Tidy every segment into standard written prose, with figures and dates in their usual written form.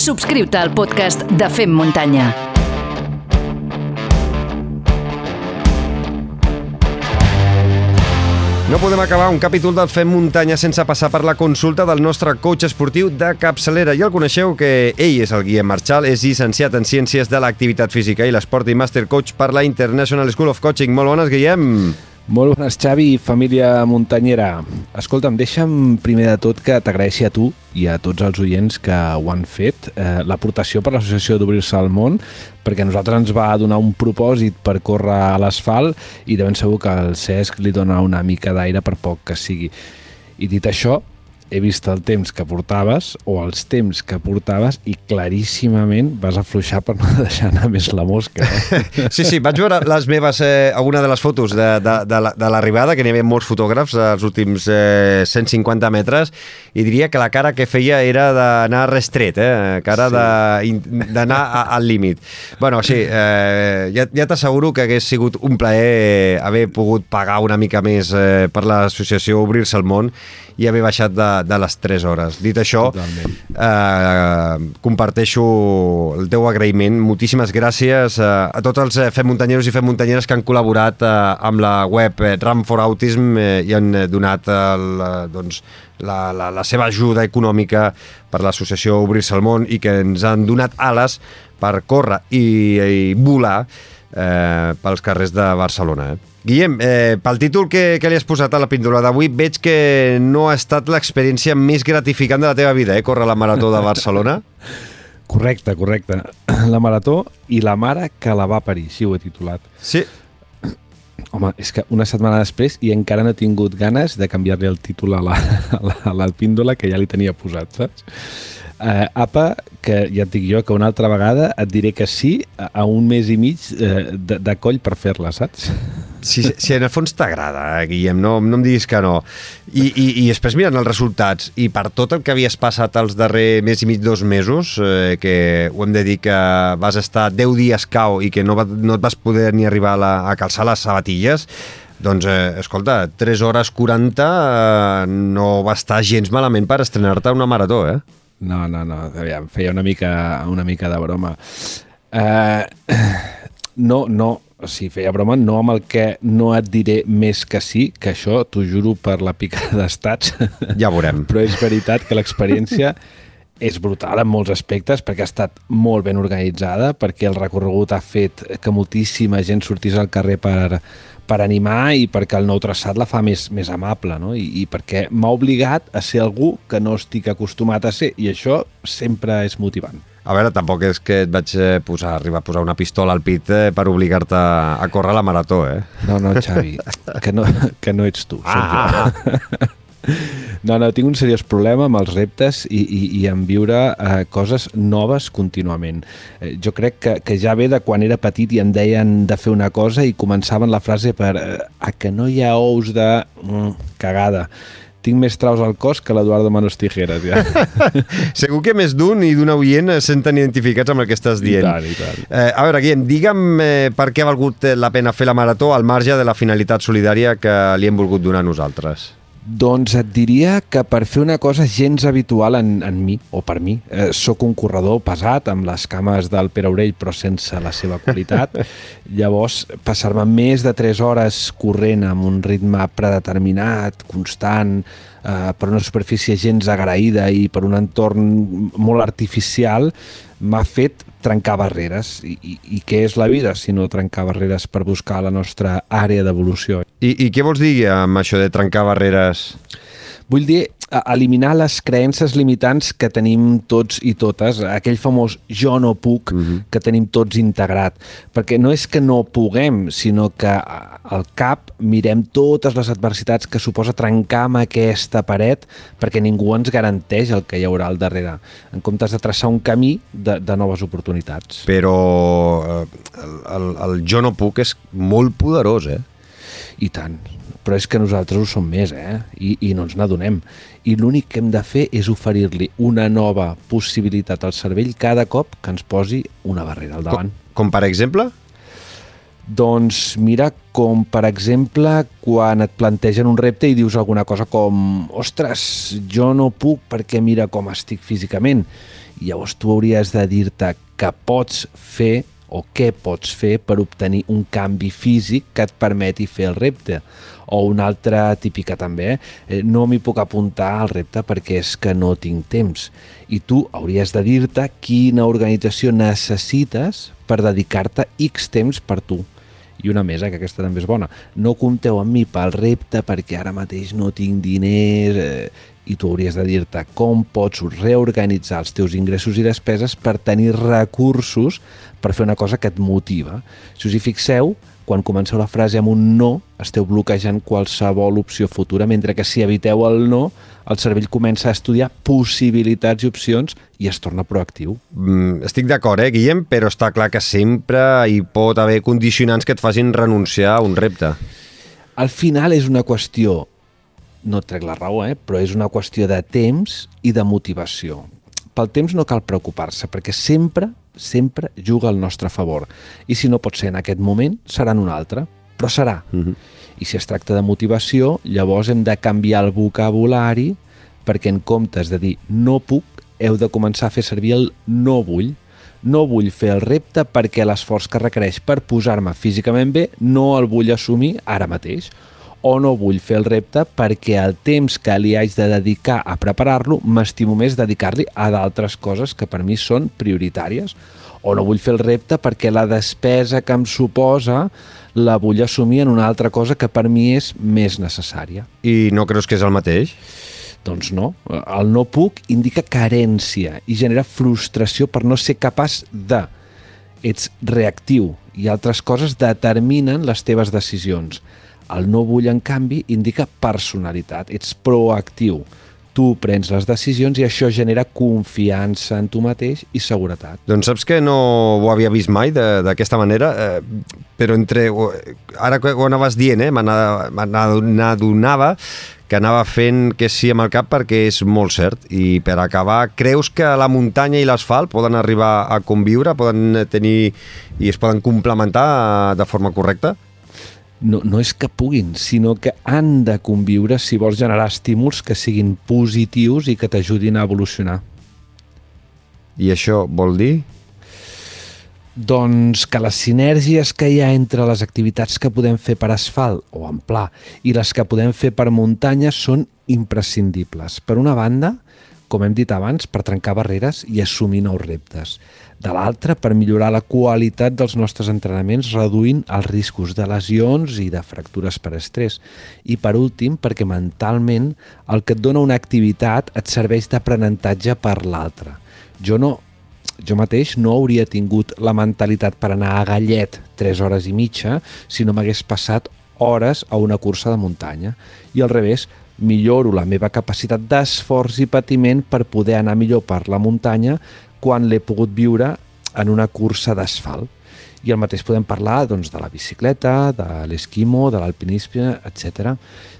Subscriu-te al podcast de Fem Muntanya. No podem acabar un capítol del Fem Muntanya sense passar per la consulta del nostre coach esportiu de capçalera. Ja el coneixeu, que ell és el Guillem Marchal, és llicenciat en Ciències de l'Activitat Física i l'Esport i Master Coach per la International School of Coaching. Molt bones, Guillem. Molt bones, Xavi i família muntanyera. Escolta'm, deixa'm primer de tot que t'agraeixi a tu i a tots els oients que ho han fet, l'aportació per l'associació d'Obrir-se al Món, perquè a nosaltres ens va donar un propòsit per córrer a l'asfalt i de ben segur que al Cesc li dona una mica d'aire per poc que sigui. I dit això, he vist el temps que portaves o els temps que portaves i claríssimament vas afluixar per no deixar anar més la mosca. Sí, vaig veure les meves, alguna de les fotos de l'arribada, que n'hi havia molts fotògrafs als últims 150 metres, i diria que la cara que feia era d'anar restret, cara d'anar al límit. Bueno, sí, ja t'asseguro que hagués sigut un plaer haver pogut pagar una mica més per l'associació Obrir-se al Món i haver baixat de les 3 hores. Dit això, comparteixo el teu agraïment. Moltíssimes gràcies a tots els Fem Muntanyeros i Fem Muntanyeres que han col·laborat amb la web Run for Autism i han donat la seva ajuda econòmica per l'associació Obrir-se al Món i que ens han donat ales per córrer i volar pels carrers de Barcelona. Guillem, pel títol que li has posat a la píndola d'avui, veig que no ha estat l'experiència més gratificant de la teva vida, córrer la Marató de Barcelona? Correcte. La Marató i la mare que la va parir, així ho he titulat. Sí. Home, és que una setmana després i encara no he tingut ganes de canviar-li el títol a la píndola que ja li tenia posat, saps? Apa, que ja et dic jo que una altra vegada et diré que sí a un mes i mig de coll per fer-la, saps? Si en el fons t'agrada, Guillem, no em diguis que no. I després mirant els resultats i per tot el que havies passat els darrers mes i mig, 2 mesos, que ho hem de dir que vas estar 10 dies cau i que no et vas poder ni arribar a calçar les sabatilles, doncs, escolta, 3 hores 40 no va estar gens malament per estrenar-te una marató, No, aviam, feia una mica de broma. Si feia broma, no amb el que no et diré més que sí, que això t'ho juro per la pica d'estats. Ja veurem. Però és veritat que l'experiència és brutal en molts aspectes, perquè ha estat molt ben organitzada, perquè el recorregut ha fet que moltíssima gent sortís al carrer per animar i perquè el nou traçat la fa més amable, no? I perquè m'ha obligat a ser algú que no estic acostumat a ser, i això sempre és motivant. A veure, tampoc és que et vaig arribar a posar una pistola al pit per obligar-te a córrer la marató, No, Xavi, que no ets tu, soc jo. No, tinc un seriós problema amb els reptes i en viure coses noves contínuament. Jo crec que ja ve de quan era petit i em deien de fer una cosa i començaven la frase per a que no hi ha ous de cagada. Tinc més traus al cos que l'Eduardo Manos Tijeras, ja. Segur que més d'un i d'un oient es senten identificats amb el que estàs dient. I tant. A veure, Guillem, digue'm per què ha valgut la pena fer la marató al marge de la finalitat solidària que li hem volgut donar a nosaltres. Doncs et diria que per fer una cosa gens habitual en mi, o per mi. Soc un corredor pesat, amb les cames del Pere Aurell, però sense la seva qualitat. Llavors, passar-me més de 3 hores corrent amb un ritme predeterminat, constant, per una superfície gens agraïda i per un entorn molt artificial, m'ha fet trencar barreres. I què és la vida si no trencar barreres per buscar la nostra àrea d'evolució? I què vols dir amb això de trencar barreres? Vull dir, eliminar les creences limitants que tenim tots i totes, aquell famós jo no puc que tenim tots integrat, perquè no és que no puguem, sinó que al cap mirem totes les adversitats que suposa trencar amb aquesta paret, perquè ningú ens garanteix el que hi haurà al darrere, en comptes de traçar un camí de noves oportunitats. Però el jo no puc és molt poderós, I tant. Però és que nosaltres ho som més, I no ens n'adonem. I l'únic que hem de fer és oferir-li una nova possibilitat al cervell cada cop que ens posi una barrera al davant. Com per exemple? Doncs mira, com per exemple quan et plantegen un repte i dius alguna cosa com ostres, jo no puc perquè mira com estic físicament. I llavors tu hauries de dir-te que pots fer o què pots fer per obtenir un canvi físic que et permeti fer el repte. O una altra típica també, no m'hi puc apuntar al repte perquè és que no tinc temps. I tu hauries de dir-te quina organització necessites per dedicar-te X temps per tu. I una més, que aquesta també és bona. No compteu amb mi pel repte perquè ara mateix no tinc diners... I tu hauries de dir-te com pots reorganitzar els teus ingressos i despeses per tenir recursos per fer una cosa que et motiva. Si us hi fixeu, quan comenceu la frase amb un no, esteu bloquejant qualsevol opció futura, mentre que si eviteu el no, el cervell comença a estudiar possibilitats i opcions i es torna proactiu. Estic d'acord, Guillem, però està clar que sempre hi pot haver condicionants que et facin renunciar a un repte. Al final és una qüestió, no et trec la raó, però és una qüestió de temps i de motivació. Pel temps no cal preocupar-se, perquè sempre juga al nostre favor. I si no pot ser en aquest moment, serà en un altre, però serà. I si es tracta de motivació, llavors hem de canviar el vocabulari perquè en comptes de dir no puc, heu de començar a fer servir el no vull. No vull fer el repte perquè l'esforç que requereix per posar-me físicament bé no el vull assumir ara mateix. O no vull fer el repte perquè el temps que li haig de dedicar a preparar-lo m'estimo més dedicar-li a d'altres coses que per mi són prioritàries. O no vull fer el repte perquè la despesa que em suposa la vull assumir en una altra cosa que per mi és més necessària. I no creus que és el mateix? Doncs no. El no puc indica carència i genera frustració per no ser capaç de. Ets reactiu i altres coses determinen les teves decisions. El no vull, en canvi, indica personalitat. Ets proactiu. Tu prens les decisions i això genera confiança en tu mateix i seguretat. Doncs saps que no ho havia vist mai d'aquesta manera, però ara que ho anaves dient, m'adonava que anava fent que sí amb el cap perquè és molt cert. I per acabar, creus que la muntanya i l'asfalt poden arribar a conviure, poden tenir i es poden complementar de forma correcta? No és que puguin, sinó que han de conviure si vols generar estímuls que siguin positius i que t'ajudin a evolucionar. I això vol dir? Doncs que les sinergies que hi ha entre les activitats que podem fer per asfalt o en pla i les que podem fer per muntanya són imprescindibles. Per una banda, com hem dit abans, per trencar barreres i assumir nous reptes. De l'altra, per millorar la qualitat dels nostres entrenaments reduint els riscos de lesions i de fractures per estrès. I per últim, perquè mentalment el que et dona una activitat et serveix d'aprenentatge per l'altra. Jo mateix no hauria tingut la mentalitat per anar a Gallet 3 hores i mitja si no m'hagués passat hores a una cursa de muntanya. I al revés, milloro la meva capacitat d'esforç i patiment per poder anar millor per la muntanya quan l'he pogut viure en una cursa d'asfalt. I el mateix podem parlar doncs, de la bicicleta, de l'esquimo, de l'alpinisme, etc.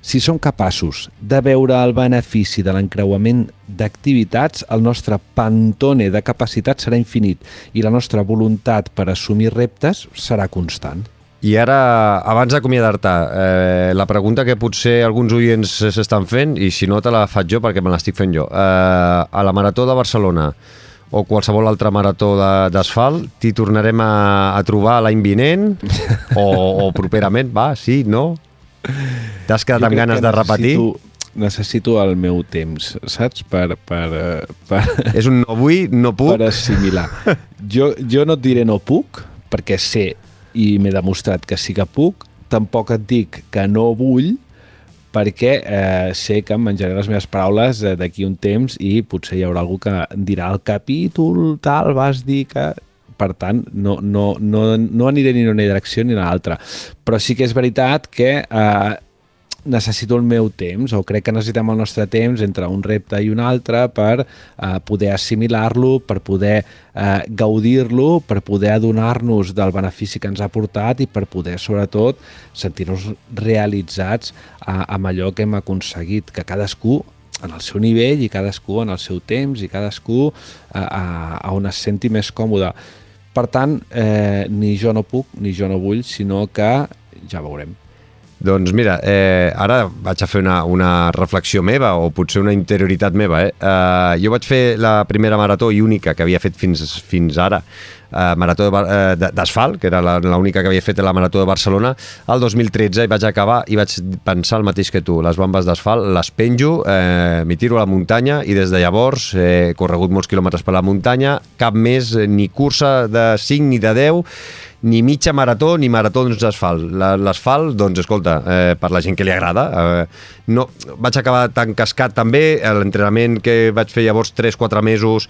Si som capaços de veure el benefici de l'encreuament d'activitats, el nostre pantone de capacitat serà infinit i la nostra voluntat per assumir reptes serà constant. I ara, abans d'acomiadar-te, la pregunta que potser alguns oients s'estan fent, i si no te la faig jo perquè me l'estic fent jo, a la Marató de Barcelona o qualsevol altra marató d'asfalt, t'hi tornarem a trobar l'any vinent o properament, va, sí, no? T'has quedat amb ganes de repetir? Necessito el meu temps, saps? És un no vull, no puc? Per assimilar. Jo no et diré no puc, perquè sé i m'he demostrat que sí que puc, tampoc et dic que no vull, perquè sé que em menjaré les meves paraules d'aquí un temps i potser hi haurà algú que dirà el capítol tal, vas dir que... Per tant, no aniré ni en una direcció ni en l'altra. Però sí que és veritat que necessito el meu temps, o crec que necessitem el nostre temps entre un repte i un altre per poder assimilar-lo, per poder gaudir-lo, per poder adonar-nos del benefici que ens ha portat i per poder, sobretot, sentir-nos realitzats amb allò que hem aconseguit, que cadascú en el seu nivell i cadascú en el seu temps i cadascú on es senti més còmode. Per tant, ni jo no puc, ni jo no vull, sinó que ja veurem. Doncs mira, ara vaig a fer una reflexió meva, o potser una interioritat meva. Jo vaig fer la primera marató i única que havia fet fins ara, marató d'asfalt, que era l'única que havia fet la marató de Barcelona, el 2013, i vaig acabar i vaig pensar el mateix que tu. Les bombes d'asfalt les penjo, m'hi tiro a la muntanya, i des de llavors he corregut molts quilòmetres per la muntanya, cap més ni cursa de 5 ni de 10, ni mitja marató ni maratons d'asfalt. L'asfalt, doncs, escolta, per la gent que li agrada. No, vaig acabar tan cascat també. L'entrenament que vaig fer llavors 3-4 mesos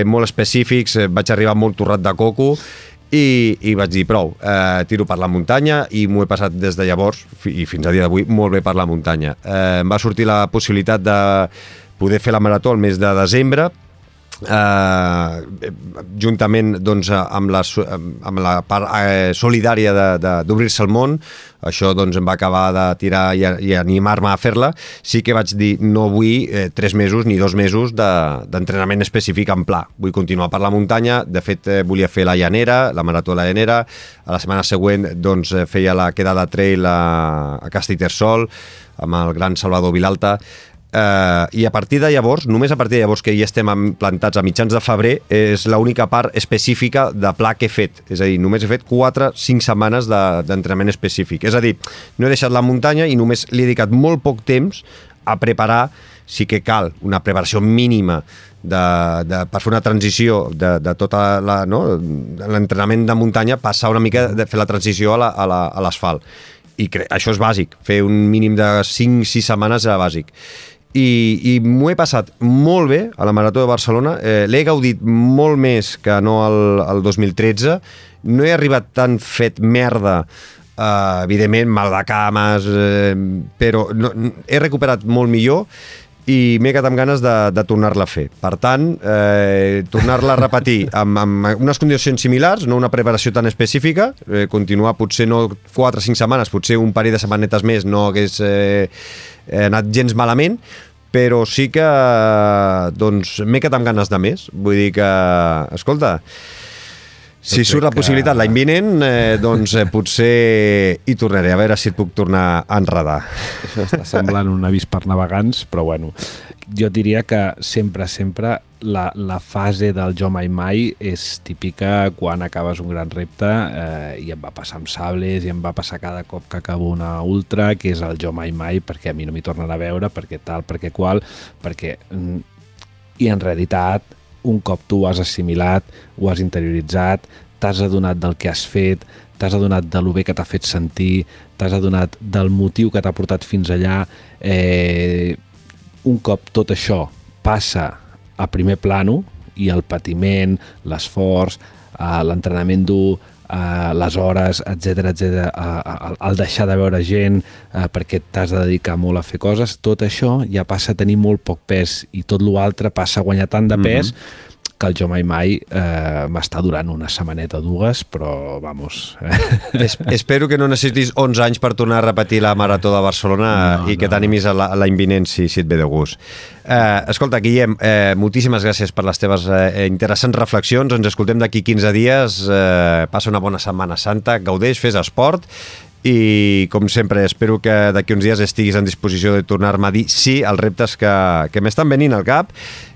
molt específics, vaig arribar molt torrat de coco i vaig dir prou, tiro per la muntanya, i m'ho he passat des de llavors i fins a dia d'avui molt bé per la muntanya. Em va sortir la possibilitat de poder fer la marató el mes de desembre, juntament doncs, amb la part solidària d'obrir-se al món. Això doncs, em va acabar de tirar i animar-me a fer-la. Sí que vaig dir, no vull 3 mesos ni 2 mesos d'entrenament específic en pla. Vull continuar per la muntanya. De fet, volia fer la Llanera, la marató de la Llanera. A la setmana següent doncs, feia la quedada trail a Castellterçol amb el gran Salvador Vilalta. I a partir de llavors, només a partir de llavors, que ja estem plantats a mitjans de febrer, és l'única part específica de pla que he fet. És a dir, només he fet 4-5 setmanes d'entrenament específic. És a dir, no he deixat la muntanya i només li he dedicat molt poc temps a preparar. Sí que cal una preparació mínima per fer una transició de tota l'entrenament de muntanya, passar una mica de fer la transició a l'asfalt. I això és bàsic, fer un mínim de 5-6 setmanes era bàsic. I m'ho he passat molt bé a la Marató de Barcelona. L'he gaudit molt més que no el 2013. No he arribat tan fet merda, evidentment, mal de cames, però he recuperat molt millor i m'he quedat amb ganes de tornar-la a fer. Per tant, tornar-la a repetir amb unes condicions similars, no una preparació tan específica, continuar potser no 4 o 5 setmanes, potser un parell de setmanetes més no hagués anat gens malament, però sí que doncs, m'he quedat amb ganes de més. Vull dir que, escolta, si surt la possibilitat l'any vinent, doncs potser hi tornaré, a veure si et puc tornar a enredar. Això està semblant un avís per navegants, però bueno, jo diria que sempre la fase del jo mai mai és típica quan acabes un gran repte, i em va passar amb sables i em va passar cada cop que acabo una ultra, que és el jo mai mai, perquè a mi no m'hi tornen a veure, perquè tal, perquè qual, perquè... I en realitat, un cop tu ho has assimilat, ho has interioritzat, t'has adonat del que has fet, t'has adonat de lo bé que t'ha fet sentir, t'has adonat del motiu que t'ha portat fins allà. Un cop tot això passa a primer plano, i el patiment, l'esforç, l'entrenament dur, les hores, etc, el deixar de veure gent perquè t'has de dedicar molt a fer coses, tot això ja passa a tenir molt poc pes, i tot l'altre passa a guanyar tant de pes que el jo mai mai m'està durant una setmaneta o dues, però vamos... Espero que no necessitis 11 anys per tornar a repetir la Marató de Barcelona i que t'animis a l'any vinent si et ve de gust. Escolta, Guillem, moltíssimes gràcies per les teves interessants reflexions. Ens escoltem d'aquí 15 dies. Passa una bona Setmana Santa, gaudeix, fes esport, i com sempre espero que d'aquí uns dies estiguis en disposició de tornar-me a dir sí als reptes que m'estan venint al cap,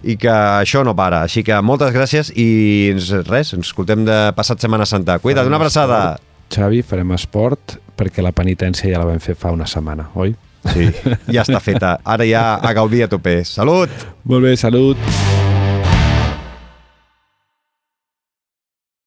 i que això no para. Així que moltes gràcies i res, ens escoltem de passat Setmana Santa. Cuida't, una abraçada. Xavi, farem esport perquè la penitència ja la vam fer fa una setmana, oi? Sí, ja està feta. Ara ja a gaudir a tope. Salut! Molt bé, salut!